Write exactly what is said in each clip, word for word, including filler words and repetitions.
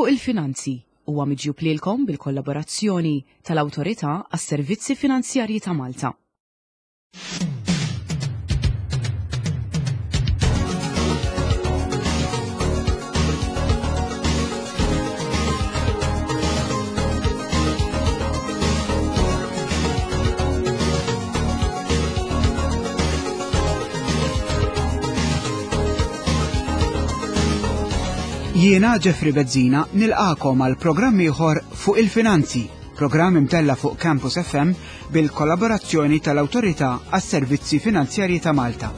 Fuq il-Finanzi huwa miġjub lilkom bil-kollaborazzjoni tal-Awtorità għas-Servizzi Finanzjarji ta' Malta. Jiena Jeffrey Bezzina nilqakom għal programm ieħor fuq il-finanzi, programm imtella fuq Campus F M bil-kollaborazzjoni tal-Awtorità għas-Servizzi Finanzjarji ta' Malta.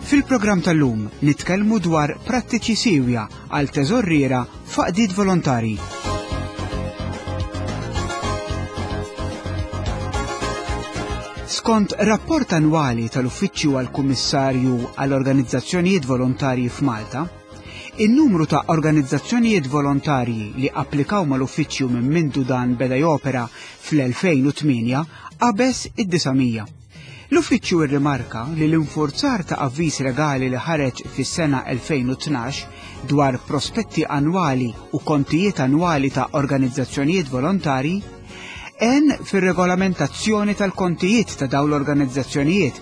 Fil-programm tal-lum nitkellmu dwar prattiċi siewja għal teżorriera f'għaqdiet volontarji. Skont rapport annwali tal-Uffiċċju għall-Kummissarju għall-Organizzazzjonijiet Volontarji f'Malta, in-numru ta' organizzazzjonijiet volontarji li applikaw mal-uffiċċju minn mindu dan beda jopera fl-elfejn u tmienja qabeż id-disa' mija. L-uffiċċju rrimarka li l-infurzar ta' avviż legali li ħareġ fis-sena elfejn u tnax dwar prospetti annwali u kontijiet annwali ta' organizzazzjonijiet volontarji għen fir-regolamentazzjoni tal-kontijiet ta' dawn l-organizzazzjonijiet,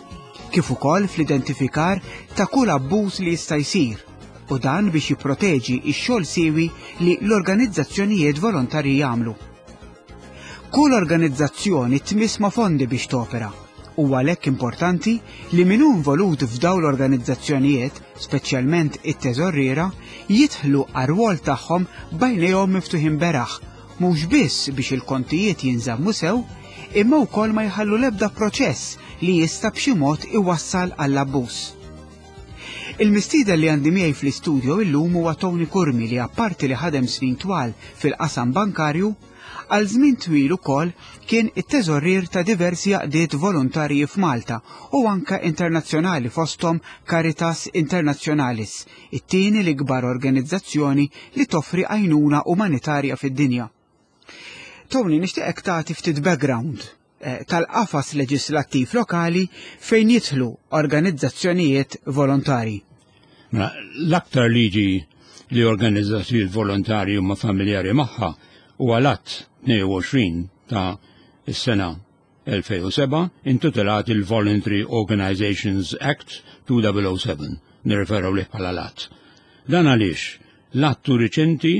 kif ukoll fl-identifikar ta' kull abbuż li jista' jsir, u dan biex jipproteġi x-xogħol siewi li l-organizzazzjonijiet volontarji jagħmlu. Kull organizzazzjoni tmiss ma' fondi biex topera, u għalhekk importanti li min hu involut f'dawn l-organizzazzjonijiet, speċjalment it-teżorriera, jidħlu għar-rwol tagħhom b'għajnejhom miftuħin beraħ, mhux biss biex il-kontijiet jinżammu sew, imma wkoll ma jħallu l-ebda proċess li jista' b'xi mod iwassal għall-abbuż. Il-mistieden li għandi miegħi fl-istudio illum huwa Tony Curmi li apparti li ħadem snin twal fil-qasam bankarju, għal żmien twil ukoll kien it-teżorrier ta' diversi għaqdiet volontarji f'Malta u anke internazzjonali fosthom Caritas Internationalis, it-tieni l-ikbar organizzazzjoni li toffri għajnuna umanitarja fid-dinja. Tony, nixtieqek tagħti ftit background, eh, tal-qafas leġislattiv lokali fejn jidħlu organizzazzjonijiet volontari. Mela, l-aktar liġi li organizzazzjonijiet volontari huma familjari magħha huwa l-Att tnejn u għoxrin ta' s-sena elfejn u seba' intitolat il-Voluntary Organizations Act two double oh seven, nirreferaw lih bħala l-Att. Dan għaliex l-att hu riċenti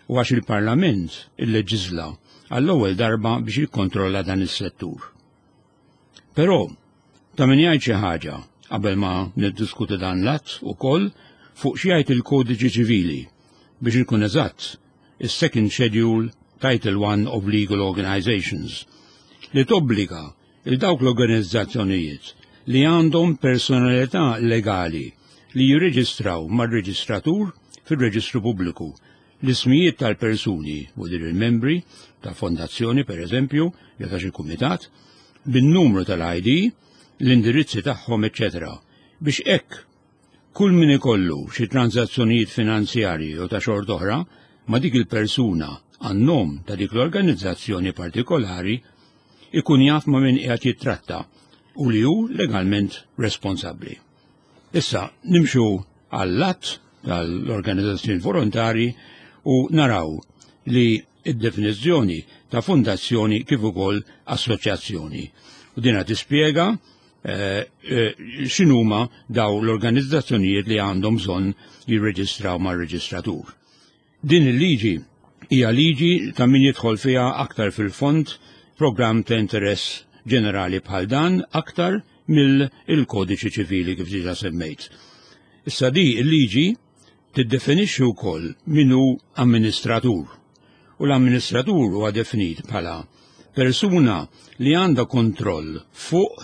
u għax il-Parlament illeġisla għall-ewwel darba biex jikkontrolla dan is-settur. Però ta' min jgħid xi ħaġa qabel ma niddiskuti dan l-att ukoll fuq xi jgħid il-Kodiċi Ċivili biex ikun eżatt is-Second Schedule Title one of Legal Organizations li tobbliga il dawk l-organizzazzjonijiet li għandhom personalità legali li jirreġistraw mar-reġistratur fir-reġistru pubbliku l-ismijiet tal-persuni u dir il-membri ta' fondazzjoni per eżempju, jew ta' xi kumitat, bin-numru tal-I D, l-indirizzi tagħhom, eċċetera, biex hekk kull min ikollu xi transazzjonijiet finanzjarji jew ta' xorta oħra ma' dik il-persuna għan-nom ta' dik l-organizzazzjoni partikolari ikun jaf ma' min qiegħed jittratta u li hu legalment responsabbli. Issa nimxu għall-att tal-organizzazzjoni volontari u naraw li id-definizzjoni ta' fondazzjoni kif ukoll assoċjazzjoni. U dina tispjega, eh, eh, x'inhuma daw l-organizzazzjonijiet li għandhom bżonn jirreġistraw mar-reġistratur. Din il-liġi hija liġi ta' min jidħol fiha aktar fil-fond programm ta' interess ġenerali bħal dan aktar mill-kodiċi ċivili kif diġà semmejt. Issa di il-liġi tiddefinixxi wkoll min hu amministratur. U l-amministratur huwa definit bħala persuna li għandha kontroll fuq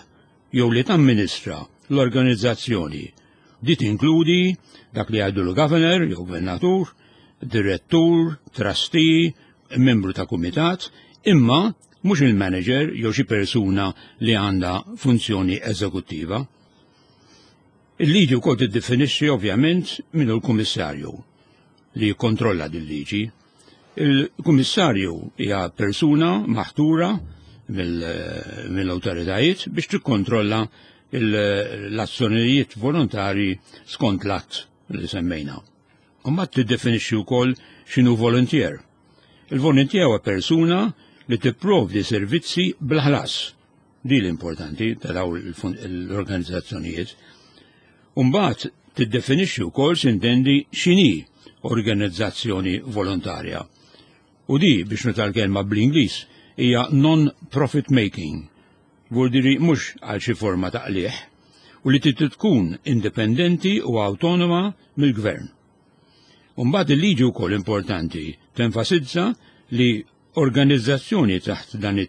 jew li tamministra l-organizzazzjoni. Di tinkludi dak li jgħidu l-governor jew gvernatur, direttur, trustee, membru ta' kumitat, imma mhux il-manager jew xi persuna li għandha funzjoni eżekuttiva. Il-liġi wkoll tiddefinixxi ovvjament min hu l-kummissarju li jikkontrolla din liġi. Il-kummissarju hija persuna maħtura mill-, mill-awtoritajiet biex tikkontrolla il-, l-azzjonijiet volontari skont l-att li semmejna. U mbagħad tiddefinixxi wkoll x'inhu volunteer. Il-volunteer huwa persuna li tipprovdi servizzi bla ħlas. Di l-importanti ta' daw l-organizzazzjonijiet. Umbagħad tiddefinixxi wkoll, s'intendi, x'inhi organizzazzjoni volontarja. U di, biex nuża l-kelma bl-Ingliż, hija non-profit making. Vuldiri mhux għal xi forma ta' qliħ u li trid tkun indipendenti u autonoma mill-gvern. Umbagħad il-liġi wkoll importanti tenfasizza li organizzazzjoni taħt dan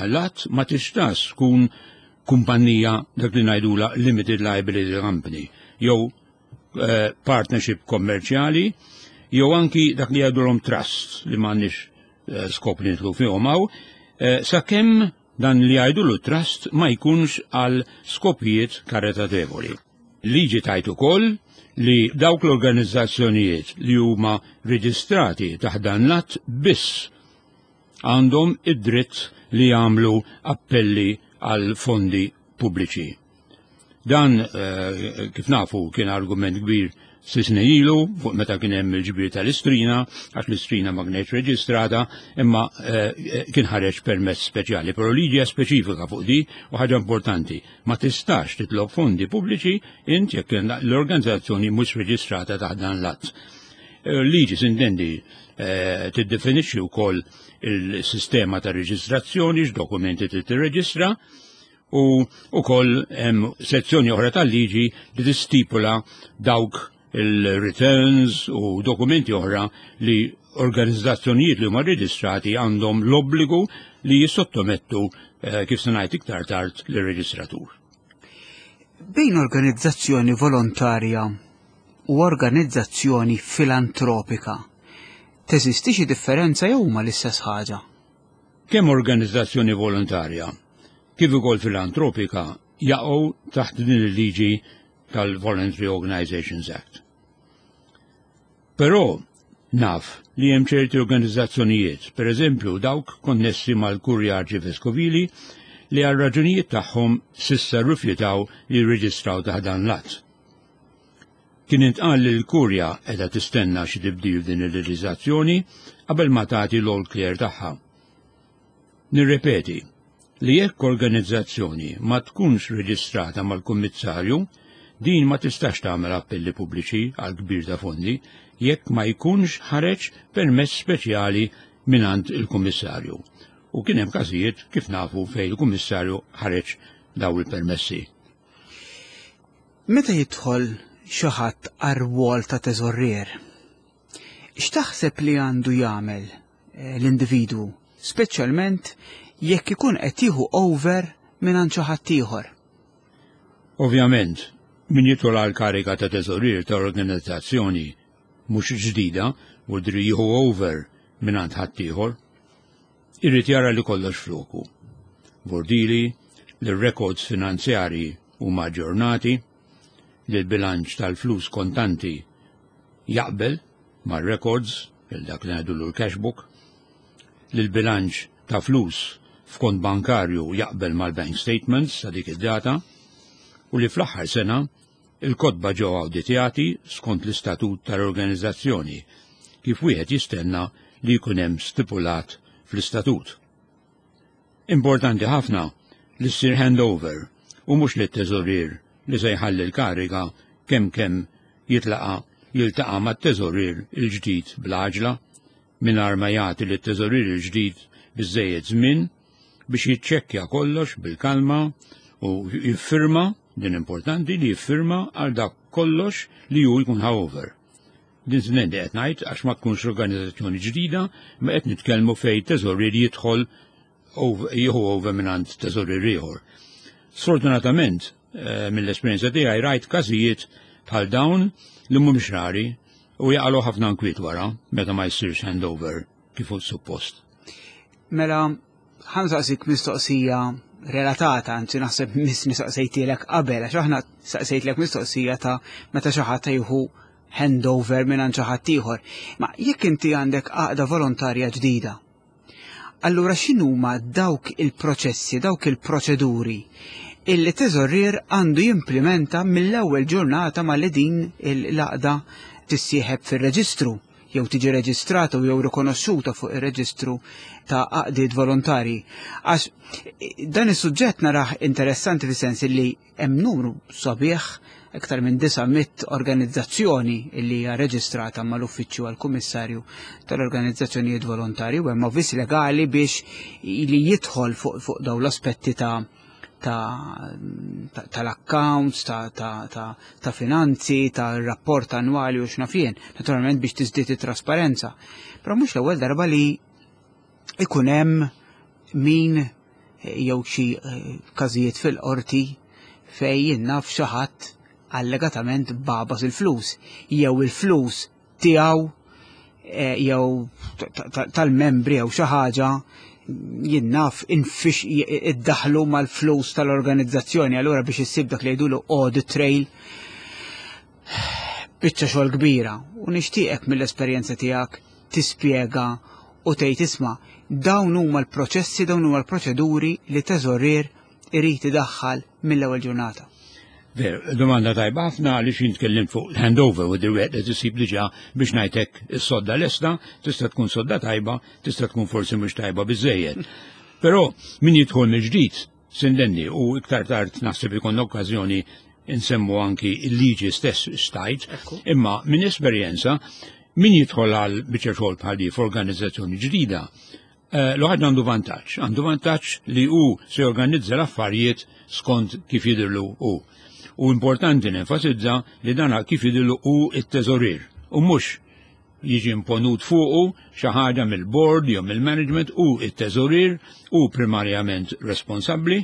l-att ma tistax tkun kumpanija, dak li ngħidula limited liability company, jew eh, partnership kommerċjali, jew anki dak li jgħidulhom trust, li m'għandniex eh, skop li nidħlu fihom hawn, eh, sakemm dan li jgħidulu trust ma jkunx għal skopijiet karitatevoli. Liġi tgħid ukoll li dawk l-organizzazzjonijiet li huma reġistrati taħt dan l-att biss għandhom id-dritt li jagħmlu appelli għal fondi pubbliċi. Dan, eh, kif nafu, kien argument kbir snin ilu fuq meta kien hemm il-ġbir tal-Istrina, għax l-Istrina ma kienx reġistrata, imma eh, kien ħareġ permess speċjali. Però liġi speċifika fuq di u ħaġa importanti, ma tistax titlob fondi pubbliċi int jekk l-organizzazzjoni mhux reġistrata taħt dan l-att. Eh, liġi, s'intendi, eh, tiddefinixxi wkoll il-sistema ta' reġistrazzjoni, x'dokumenti trid tirreġistra, u ukoll hemm sezzjoni oħra tal-liġi li tistipula dawk il-returns u dokumenti oħra li organizzazzjonijiet li huma reġistrati għandhom l-obbligu li jissottomettu, eh, kif se ngħid iktar tard, lir-reġistratur. Bejn organizzazzjoni volontarja u organizzazzjoni filantropika, teżisti xi differenza jew huma l-istess ħaġa? Kemm organizzazzjoni volontarja kif ukoll filantropika jaqgħu taħt din il-liġi tal-Voluntary Organizations Act. Però naf li hemm ċerti organizzazzjonijiet, per eżempju dawk konnessi mal-Kurja Arċiveskovili, li għal raġunijiet tagħhom s'issa rrifjutaw li jirreġistraw taħt dan l-att. Kien intqal li l-Kurja qiegħda tistenna xi tibdil din il-leġiżlazzjoni qabel ma tagħti l-all clear tagħha. Nirrepeti li jekk organizzazzjoni ma tkunx reġistrata mal-Kummissarju, din ma tistax tagħmel appelli pubbliċi għal ġbir ta' fondi jekk ma jkunx ħareġ permess speċjali mingħand il-Kummissarju. U kien hemm każijiet, kif nafu, fejn il-Kummissarju ħareġ daw il-permessi. Meta jidħol xi ħadd għar-rwol ta' teżorrier, x'taħseb li għandu jagħmel eh, l-individwu, speċjalment jekk ikun qed jieħu over minn xi ħadd ieħor? Ovvjament, min jidħol għal kariga ta' teżorier ta' organizzazzjoni mhux ġdida u dri jieħu over minn ħaddieħor, irrid jara li kollox floku. Vordili li r-records finanzjari huma aġġornati, li l-bilanċ tal-flus kontanti jaqbel mar-records, il-dak li ngħidulu l-cash book, li l-bilanċ ta' flus f'kont bankarju jaqbel mal-bank statements ta' dik id-data u li fl-aħħar sena il-kotba ġew awditjati skont l-istatut tal-organizzazzjoni, kif wieħed jistenna li jkun hemm stipulat fl-istatut. Importanti ħafna li ssir handover u mhux li t-teżorier li se jħalli l-kariga kemm kemm jitlaqa jiltaqa' mat-teżorier il-ġdid bl-għaġla, mingħajr ma jagħti lit-teżorier il-ġdid biżejjed żmien biex jiċċekkja kollox bil-kalma u jiffirma. Din importanti, li jiffirma għal dak kollox li ju jkun ħa over. Din s'intendi qed ngħid għax ma tkunx organizzazzjoni ġdida, ma qed nitkellmu fejn teżorier jidħol jieħu over mingħand teżorier ieħor. Sfortunatament, eh, mill-esperjenza tiegħi rajt każijiet bħal dawn li mhumiex rari u jaqalgħu ħafna nkwiet wara meta ma jsirx handover kif hu suppost. Mela, ħa nsaqsik mistoqsija relatata, anzi naħseb missni saqsejtilek qabel, għax aħna saqsejtlek mistoqsija ta' meta xi ħadd jieħu handover minn xi ħadd ieħor. Ma jekk inti għandek għaqda volontarja ġdida, allura x'inhuma dawk il-proċessi, dawk il-proċeduri illi teżorrier għandu jimplementa mill-ewwel ġurnata ma li din l-għaqda tissieħeb fir-reġistru jew tiġi reġistrata jew rikonoxxuta fuq ir-reġistru ta' għaqdiet volontarji. Għax dan is-suġġett narah interessanti fis-sens li hemm numru sabiħ, iktar minn disa' mitt organizzazzjoni li hija reġistrata mal-Uffiċċju għall-Kummissarju tal-Organizzazzjonijiet Volontarji, u hemm avviż legali biex li jidħol fuq, fuq dawn l-aspetti ta' ta', ta, tal-accounts, ta', ta', ta', ta' finanzi, ta' rapport annwali u x'naf jien, naturalment biex tiżdied it-trasparenza. Però mhux l-ewwel darba li ikun hemm min jew xi każijiet fil-qorti fejn jien naf xi ħadd allegatament babas il-flus, jew il-flus tiegħu, eh, jew ta-, ta-, tal-membri jew xi ħaġa jien naf infix iddaħlu mal-flus tal-organizzazzjoni, allura biex issib dak li jgħidulu audit trail, biċċa xogħol kbira. U nixtieqek mill-esperjenza tiegħek tispjega u tgħid isma' dawn huma l-proċessi, dawn huma l-proċeduri li teżorier irid idaħħal mill-ewwel ġurnata. Ver, domanda tajba ħafna għaliex jien tkellimt fuq l-handover u dirwet li tisib diġà biex ngħidlek is-sodda lesta, tista' tkun sodda tajba, tista' tkun forsi mhux tajba biżejjed. Però min jidħol mill-ġdid sindenni u iktar tard naħseb ikun okkażjoni insemmu anki il-liġi stess stajt, Ekku. imma minn esperjenza min jidħol għal biċċa xogħol bħal di f'organizzazzjoni ġdida, eh, l-ħadd għandu vantaġġ, għandu vantaġġ li hu se jorganizza l-affarijiet skont kif jidhirlu hu. U importanti nenfasizza li dana kif jidhirlu hu it-teżorier u mhux jiġi imponut fuqu xi ħaġa mill-board jew mill-management. U it-teżorier u primarjament responsabbli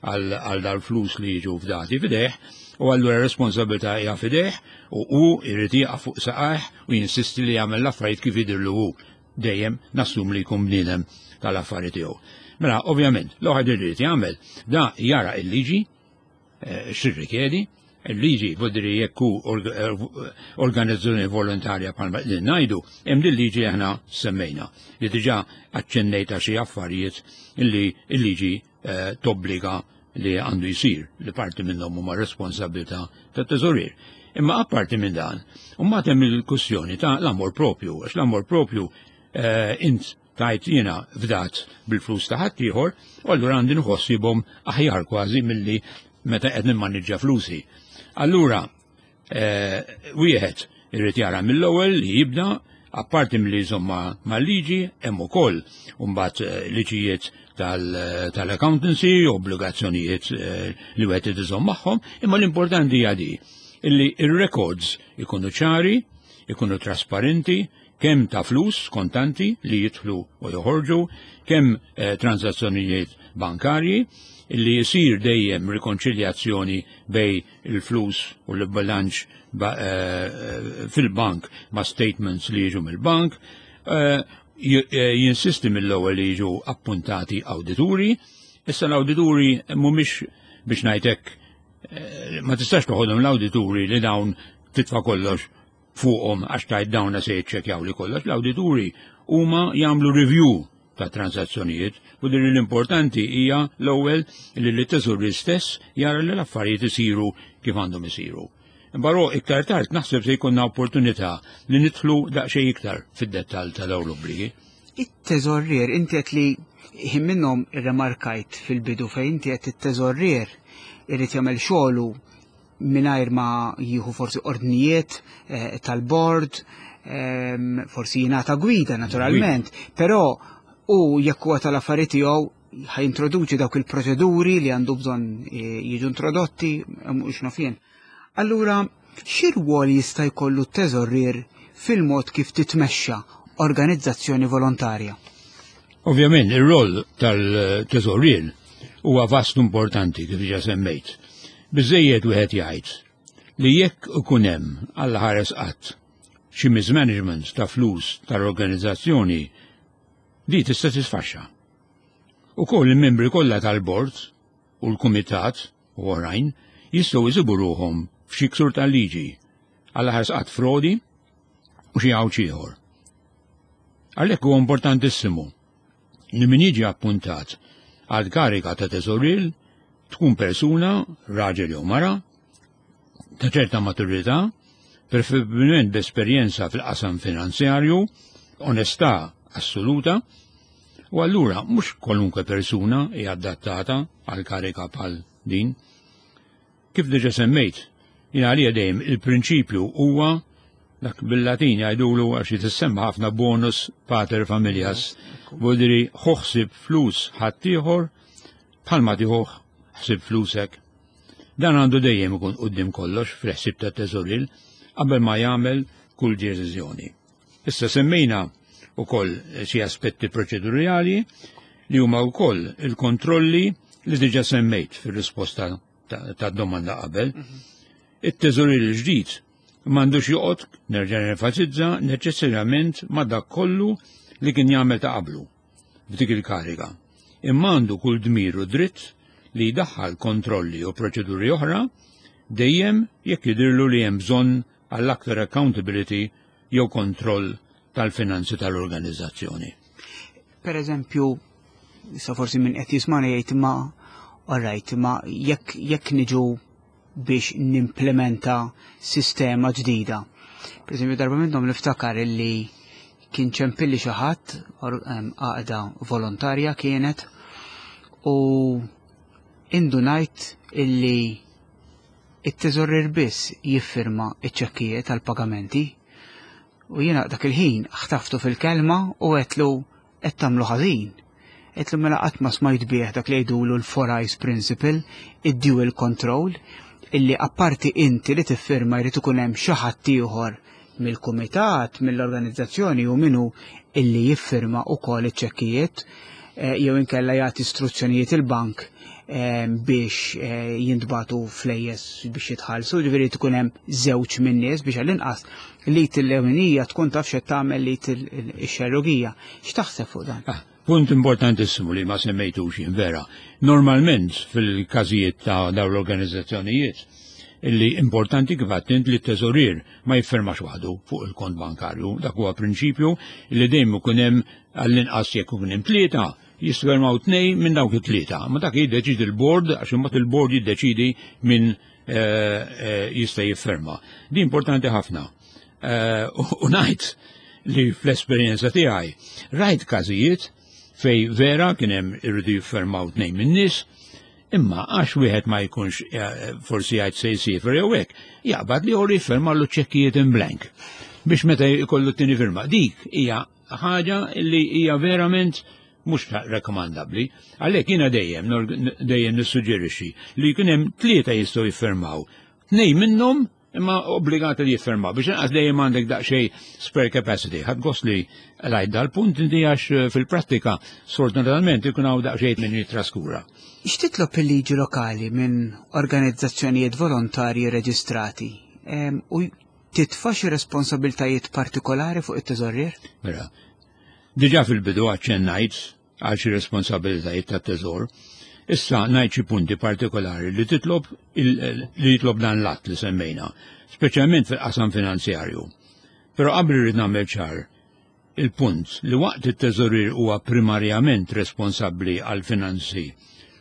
għal, għal dal-flus li jiġu fdati fideh, u allura responsabilità hija fideh u hu jrid jieqaf fuq saqajh u jinsisti li jagħmel l-affarijiet kif jidhirlu hu. Dejjem nassum li jkun bniedem tal-affarijiet tiegħu. Mela, ovvjament, l-ewwel irid jagħmel da jara il-liġi, eh, x'irrikjedi, il-liġi vodri jekk hu org-, eh, organizzazzjoni volontarja bħalma li ngħidu, hemm din liġi aħna semmejna li diġà aċċennejta xi affarijiet illi il-liġi, eh, tobbliga li għandu jsir, li parti minnhom huma responsabilità tat-teżorier. Imma apparti minn dan, mbagħad hemm il-kwistjoni ta' l-amor propju, għax l-amor propju, eh, int tajt jiena fdat bil-flus ta' ħaddieħor, u allura għandi nħossibhom aħjar kważi milli meta qed nimmaniġġa flusi. Allura, eh, wieħed irid jara mill-ewwel li jibda, apparti milli jżomm ma', mal-liġi, hemm ukoll mbagħad, eh, liġijiet tal-, tal-accountancy, obbligazzjonijiet, eh, li wieħed irid iżomm magħhom, imma l-importanti hija di illi ir-records ikunu ċari, ikunu trasparenti, kemm ta' flus kontanti li jidħlu u joħorġu, kemm, eh, transazzjonijiet bankarji, illi jisir dejjem rikonċiljazzjoni bej il-flus u l-bilanċ ba-, eh, eh, fil-bank ma' statements li jiġu mill-bank, eh, j-, eh, jinsisti mill-ewwel li jiġu appuntati awdituri. Issa l-awdituri mhumiex biex ngħidlek, eh, ma tistax toħodhom l-awdituri li dawn titfa' kollox fuqhom għax tajt dawn se jiċċekkjaw li kollox. L-awdituri huma jagħmlu review ta' transazzjonijiet u din l-importanti hija l-ewwel li l-teżorier stess jara li l-affarijiet isiru kif għandhom isiru. Barò iktar tard naħseb se jkollna opportunità li nidħlu daqsxejn iktar fid-dettall ta' dawn l-obbligi. It-teżorier, inti qed li ħin minnhom irremarkajt fil-bidu fejn inti qed it-teżorier irid jagħmel xogħlu mingħajr ma jieħu forsi ordnijiet, eh, tal-bord, ehm, forsi jingħata gwida naturalment, Gwida. però u jekk huwa tal-affarijiet tiegħu ħajintroduċi dawk il-proċeduri li għandu bżonn, eh, jiġu introdotti, mhux naf jien. Allura, xi rwol jista' jkollu t-teżorier fil-mod kif titmexxa organizzazzjoni volontarja? Ovvjament, ir-rol tal-teżorier huwa vast importanti kif diġà semmejt. Biżejjed wieħed jgħid li jekk ikun hemm għal ħares qatt xi mismanagement ta' flus tal-organizzazzjoni, di tista' tisfaxxa. Ukoll il-membri kollha tal-bord u l-kumitat u oħrajn jistgħu jsibu ruħhom f'xi ksur tal-liġi għal ħares qatt frodi u xi għawġ ieħor. Għalhekk huwa importantissimu li min jiġi appuntat għal kariga ta' teżorier tkun persuna, raġel jew mara, ta' ċerta maturità, Preferibilment b'esperjenza fil-qasam finanzjarju, onestà assoluta, u allura mhux kwalunkwe persuna hija adattata għal karika bħal din. Kif diġa semmejt, jien għalija dejjem il-prinċipju huwa dak bil-Latin jgħidulu, għax jitissemma ħafna, bonus pater familias. Vuldiri ħu ħsieb flus ħaddieħor bħalma tieħu ħsieb flusek. Dan għandu dejjem ikun quddiem kollox fil-ħsieb ta' teżorier qabel ma jagħmel kull deċiżjoni. Issa semmejna ukoll xi aspetti proċedurali li huma wkoll il-kontrolli li diġa semmejt fir-risposta ta' domanda qabel. It-teżorier il-ġdid m'għandux joqgħod, nerġa' nenfasizza, neċessarjament ma' dak kollu li kien jagħmel ta' qablu f'dik il-kariga. Imma għandu kull dmir u dritt li jdaħħal kontrolli u proċeduri oħra dejjem jekk jidirlu li hemm bżonn għall-aktar accountability jew kontroll tal-finanzi tal-organizzazzjoni. Per eżempju, issa forsi min qed jismana jgħid, ma alright, ma jekk jekk niġu biex nimplementa sistema ġdida. Per eżempju, darba minnhom niftakar illi kien ċempilli xi ħadd, għaqda volontarja kienet, u indunajt illi it-teżorier biss jiffirma iċ-ċekkijiet tal-pagamenti u jiena dak il-ħin ħtaftu fil-kelma u għedtlu, "Qed tagħmlu ħażin." Għedtlu, "Mela qatt ma smajt bih dak li jgħidulu l-four eyes principle, id-dual control, illi apparti inti li tiffirma jrid ikun hemm xi ħadd ieħor mill-kumitat, mill-organizzazzjoni u minnu illi jiffirma ukoll iċ-ċekkijiet eh, jew inkella jagħti istruzzjonijiet il-bank eh, biex eh, jintbagħtu flejjes biex jitħallsu, ġifieri tkun hemm żewġ minn nies biex għall-inqas l-id il-leminija tkun taf x'qed tagħmel l-id ix-xellugija." X'taħseb fuq dan? Ah, punt importantissimu li ma semmejtux vera. Normalment fil-każijiet ta' dawn l-organizzazzjonijiet illi importanti kif għedt li t-teżorier ma jiffirmax waħdu fuq il-kont bankarju. Dak huwa prinċipju li dejjem ikun hemm għall-inqas, jekk ikun hemm tlieta, jiffirmaw tnejn minn dawk it-tlieta. Ma dak jiddeċidi il-board, għax imbagħad il-board jiddeċidi min eh, eh, jista' jiffirma. Di importanti ħafna. Eh, u ngħid li fl-esperjenza tiegħi rajt każijiet fej vera kien hemm irridu jiffirmaw tnejn minn nies, imma għax wieħed ma jkunx eh, forsi jgħid se jsiefer jew hekk, jaqbad l-ieħor jiffirma l ċekkijiet in blank biex meta jkollu t-tieni firma. Dik hija ħaġa li hija verament mhux rekomandabbli. Għalhekk jiena dejjem dejjem nissuġġerixxi li jkun hemm tlieta jistgħu jiffirmaw. Tnejn minnhom imma obbligati li jiffirmaw biex inqas dejjem għandek daqsxejn spare capacity. Ħadt gost li għidt dal-punt inti, għax eh, fil-prattika sfortunatament ikun hawn daqsxejn min jitraskura. X'titlob il-liġi lokali minn organizzazzjonijiet volontarji reġistrati? Em, U titfa' xi responsabiltajiet partikolari fuq it-teżorier? Mela, diġà fil-bidu aċċennajt għal xi responsabilitajiet tat-teżor. Issa ngħid xi punti partikolari li titlob li jitlob dan l-att li semmejna, speċjalment fil-qasam finanzjarju. Però qabel irrid nagħmel ċar il-punt li waqt it-teżorier huwa primarjament responsabbli għal finanzi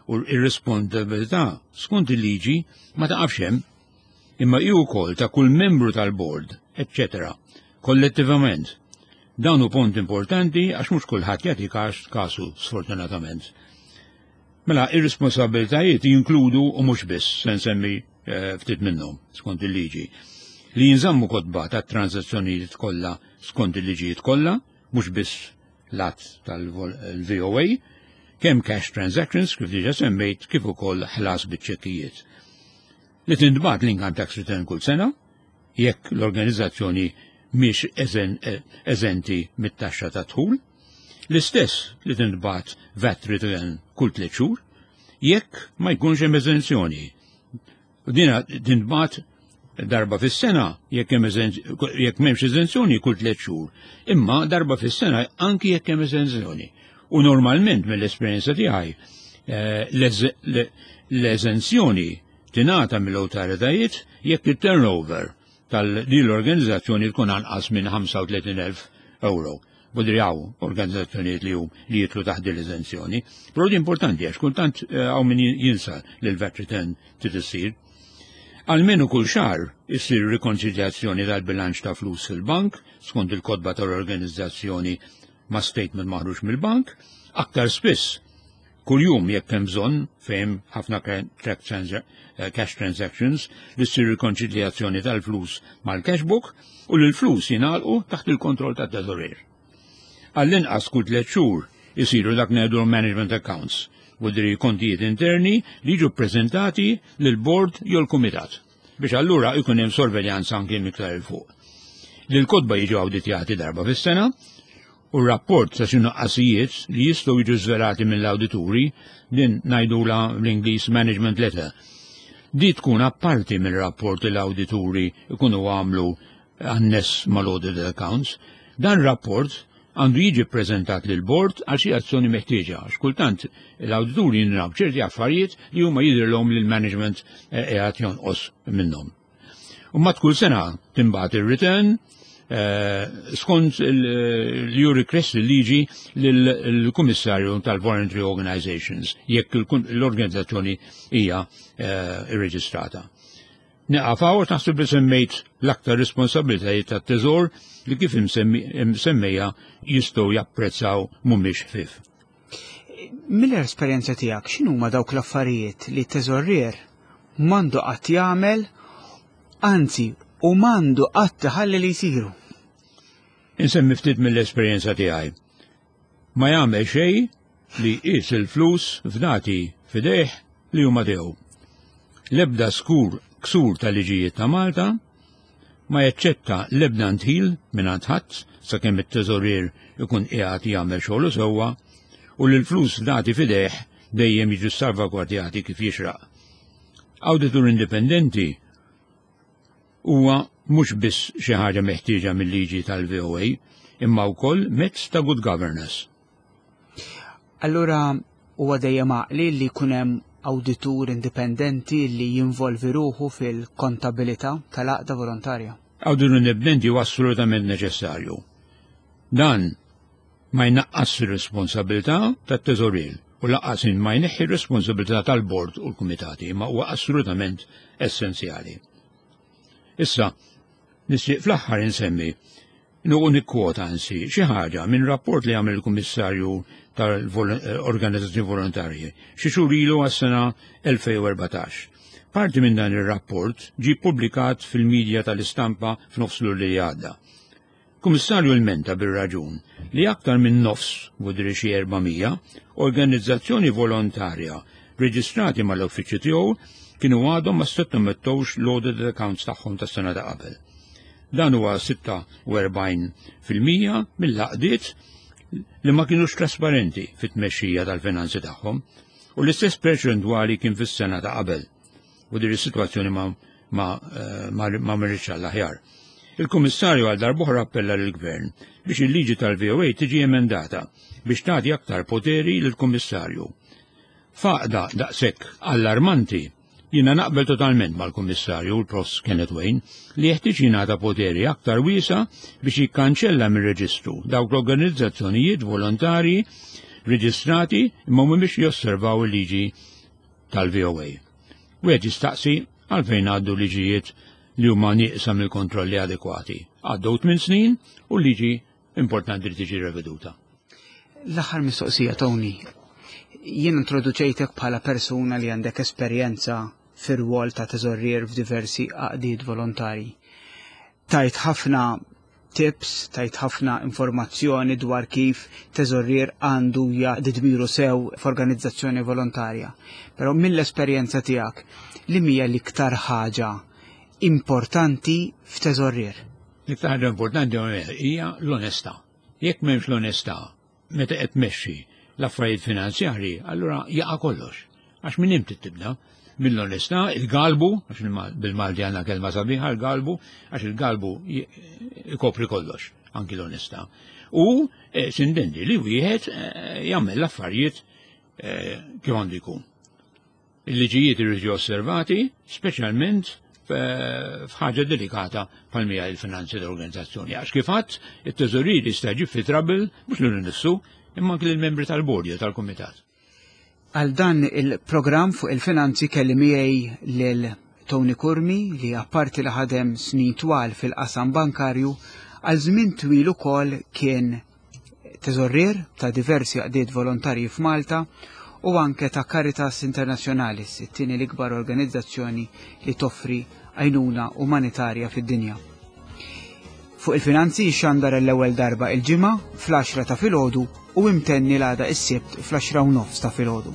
u ir-responsabilità skont il-liġi ma taqafx hemm, imma hi wkoll ta' kull membru tal-bord, eċċetera. Kollettivament. Dan hu punt importanti għax mhux kulħadd jagħti każ kasu, sfortunatament. Mela, ir-responsabilitajiet jinkludu, u mhux biss, se nsemmi eh, ftit minnhom skont il-liġi. Li jinżammu kotba ta' transazzjonijiet kollha skont il-liġijiet kollha, mhux biss l-att tal-V O A, kemm cash transactions kif diġa semmejt, kif ukoll ħlas biċ-ċekkijiet. Li tintbagħat l-income tax return kull sena, jekk l-organizzazzjoni mhix eżenti mit-taxxa ta' dħul, l-istess li tintbagħat VAT return kull tliet xhur, jekk ma jkunx hemm eżenzjoni. U dina tintbagħat darba fis-sena jekk hemm jekk m'hemmx eżenzjoni kull tliet xhur, imma darba fis-sena anki jekk hemm eżenzjoni. U normalment mill-esperjenza tiegħi eh, l-eżenzjoni tingħata mill-awtoritajiet jekk it-turnover tal-din l-organizzazzjoni tkun anqas minn ħamsa u tletin elf euro. Budrijaw organizzazzjonijiet li hum li jidħlu taħt l-eżenzjoni. Però di importanti għax kultant hawn min jinsa li l-VAT return trid issir. Almenu kull xahar issir rikonċiljazzjoni tal-bilanċ ta' flus fil-bank skont il-kotba tal-organizzazzjoni ma' statement maħruġ mill-bank, aktar spiss kuljum jekk hemm bżonn fejn ħafna eh, cash transactions li ssir rikonċiljazzjoni tal-flus mal-cash book u li l-flus jingħalqu taħt il-kontroll tat-teżorier. Għall-inqas kull tliet xhur isiru dak ngħidu management accounts, vuldiri kontijiet interni li jiġu ppreżentati lill-bord jew l-kumitat biex allura jkun hemm sorveljanza anke iktar 'il fuq. Li l-kotba jiġu awditjati darba fis-sena u r-rapport ta' xi nuqqasijiet li jistgħu jiġu żvelati mill-awdituri, din ngħidula l-Ingliż management letter. Di tkun apparti mill-rapport li l-awdituri ikunu għamlu anness mal-audit accounts. Dan rapport għandu jiġi prezentat lil bord għal xi azzjoni meħtieġa. Għax kultant l-awdituri jindunaw ċerti affarijiet li huma jidhirlhom li l-management qiegħed jonqos minnhom. U mat kull sena tinbagħat ir-return eh, skont li ju request il-liġi l-Kummissarju tal-Voluntary Organizations jekk l-organizzazzjoni hija eh, irreġistrata. Nieqaf hawn, naħseb li semmejt l-aktar responsabilitajiet tat-teżor li kif imsemmejja jistgħu japprezzaw mhumiex ħfief. Mill-esperjenza tiegħek, x'inhuma dawk l-affarijiet li teżorier m'għandu qatt jagħmel, anzi u m'għandu qatt iħalli li jsiru? Insemmi ftit mill-esperjenza tiegħi. Ma jagħmel xejn li jqis il-flus fdati f'idejh li huma tiegħu. L-ebda skur ksur tal-liġijiet ta' Malta, ma jaċċetta l-ebda ndħil minn ħadd sakemm it-teżorier ikun qiegħed jagħmel xogħlu sewwa u li l-flus dati f'idejh dejjem jiġu salvagwardjati kif jixraq. Awditur indipendenti huwa mhux biss xi ħaġa meħtieġa mill-liġi tal-V O A, imma wkoll mezz ta' good governance. Allura huwa dejjem għaqli li jkun hemm awditur indipendenti li jinvolvi ruħu fil-kontabilità tal-għaqda volontarja? Awditur indipendenti huwa assolutament neċessarju. Dan ma jnaqqas ir-responsabilità tat-teżorier u lanqas ma jneħħi r-responsabilità tal-bord u l-kumitati, ma huwa assolutament essenzjali. Issa, nixtieq fl-aħħar insemmi nuqu nikkwota ansi xi ħaġa minn rapport li għamel il-Kummissarju tal-Organizzazzjoni Volontarji xi xhur ilu għas-sena elfejn u erbatax. Parti minn dan ir-rapport ġi publikat fil-medja tal-istampa f'nofs li għadda. Kummissarju lmenta bir-raġun li aktar minn nofs, vuldiri xi erba' mija, organizzazzjoni volontarja reġistrati mal-uffiċċju tiegħu kienu għadhom ma sottomettewx l-audit accounts tagħhom tas-sena ta' qabel. Dan huwa sitta u erbgħin fil-mija mill-għaqdiet li ma kienux trasparenti fit-tmexxija tal-finanzi tagħhom u l-istess perċentwali kien fis-sena ta' qabel. U din is-sitwazzjoni ma ma eh, ma, ma marritx għall-aħjar. Il-Kummissarju għal darb'oħra appella lill-Gvern biex il-liġi tal-V O A tiġi emendata biex tagħti aktar poteri lill-Kummissarju. F'għaqda daqshekk allarmanti, jiena naqbel totalment mal-Kummissarju, l-Profs Kenneth Wain, li jeħtieġ jingħata poteri aktar wiesa biex jikkanċella mir-reġistru dawk l-organizzazzjonijiet volontari reġistrati imma mhumiex josservaw il-liġi tal-V O A. Wieħed jistaqsi għalfejn għaddu liġijiet li huma nieqsa mill-kontrolli adekwati. Għaddew tmien snin u l-liġi importanti li tiġi reveduta. L-aħħar mistoqsija, Tony. Jien introduċejtek bħala persuna li għandek esperjenza fir-rwol ta' teżorrier f'diversi għaqdiet volontari. Tajt ħafna tips, tajt ħafna informazzjoni dwar kif teżorrier għandu jaqdi dmiru sew f'organizzazzjoni volontarja. Però mill-esperjenza tiegħek, li hija l-iktar ħaġa importanti f'teżorrier? L-iktar ħaġa importanti hija l-onestà. Jekk m'hemmx l-onestà meta qed tmexxi l-affarijiet finanzjarji, allura jaqa' kollox. Għax minn imti tibda? Mill-onestà, il-galbu, għax bil-Malti għandna kelma sabiħa, il-galbu, għax il-galbu ikopri kollox, anki l-onestà. U eh, sintendi li wieħed eh, jagħmel l-affarijiet eh, kif għandu jkun. Il-liġijiet irridu osservati, speċjalment f'ħaġa delikata bħal mija il-finanzi tal-organizzazzjoni. Għax kif għedt, it-teżorier jista' jġib fi trouble mhux lilu nnifsu, imma anke lill-membri tal-bord jew tal-kumitat. Għal dan il-programm fuq il-finanzi kelli miegħi lil Tony Curmi li apparti li ħadem snin twal fil-qasam bankarju, għal żmien twil ukoll kien teżorrier ta' diversi għaqdiet volontarji f'Malta u anke ta' Caritas Internationalis, it-tieni l-ikbar organizzazzjoni li toffri għajnuna umanitarja fid-dinja. Fuq il-finanzi xandar l-ewwel darba il-ġimgħa fl-għaxra ta' filgħodu u imtenni l-għada is-Sibt fl-għaxra u nofs ta' filgħodu.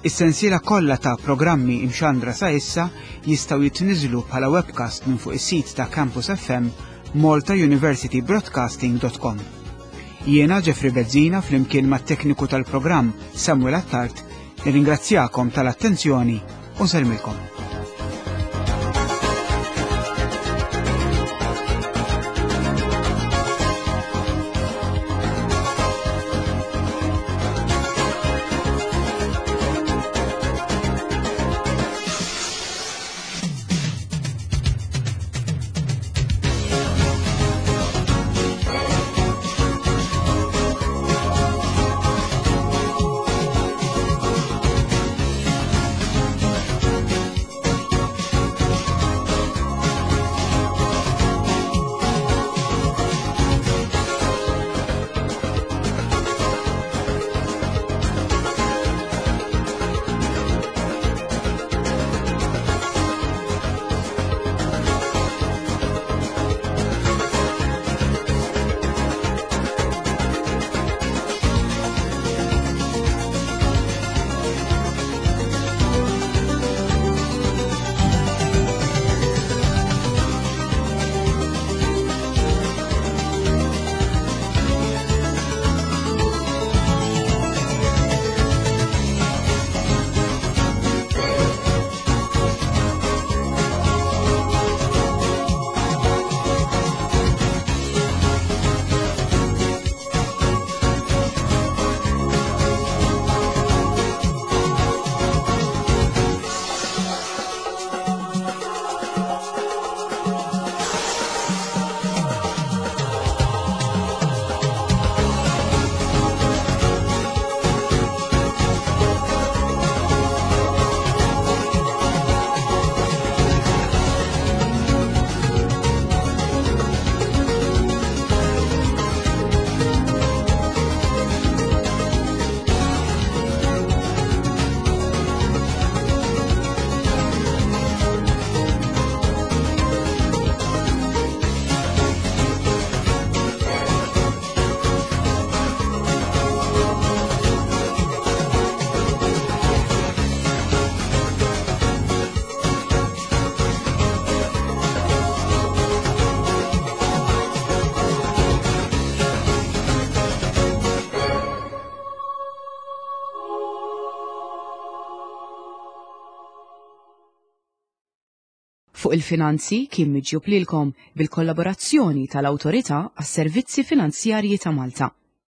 Is-sensiela kollha ta' programmi imxandra sa issa jistgħu jitniżlu bħala webcast minn fuq is-sit ta' Campus F M malta university broadcasting dot com. Jiena Jeffrey Bezzina, flimkien mat-tekniku tal-programm Samuel Attard, nirringrazzjakom tal-attenzjoni u nsellmilkom. Fuq il-finanzi kien miġjub lilkom bil-kollaborazzjoni tal-Awtorità għas-Servizzi Finanzjarji ta' Malta.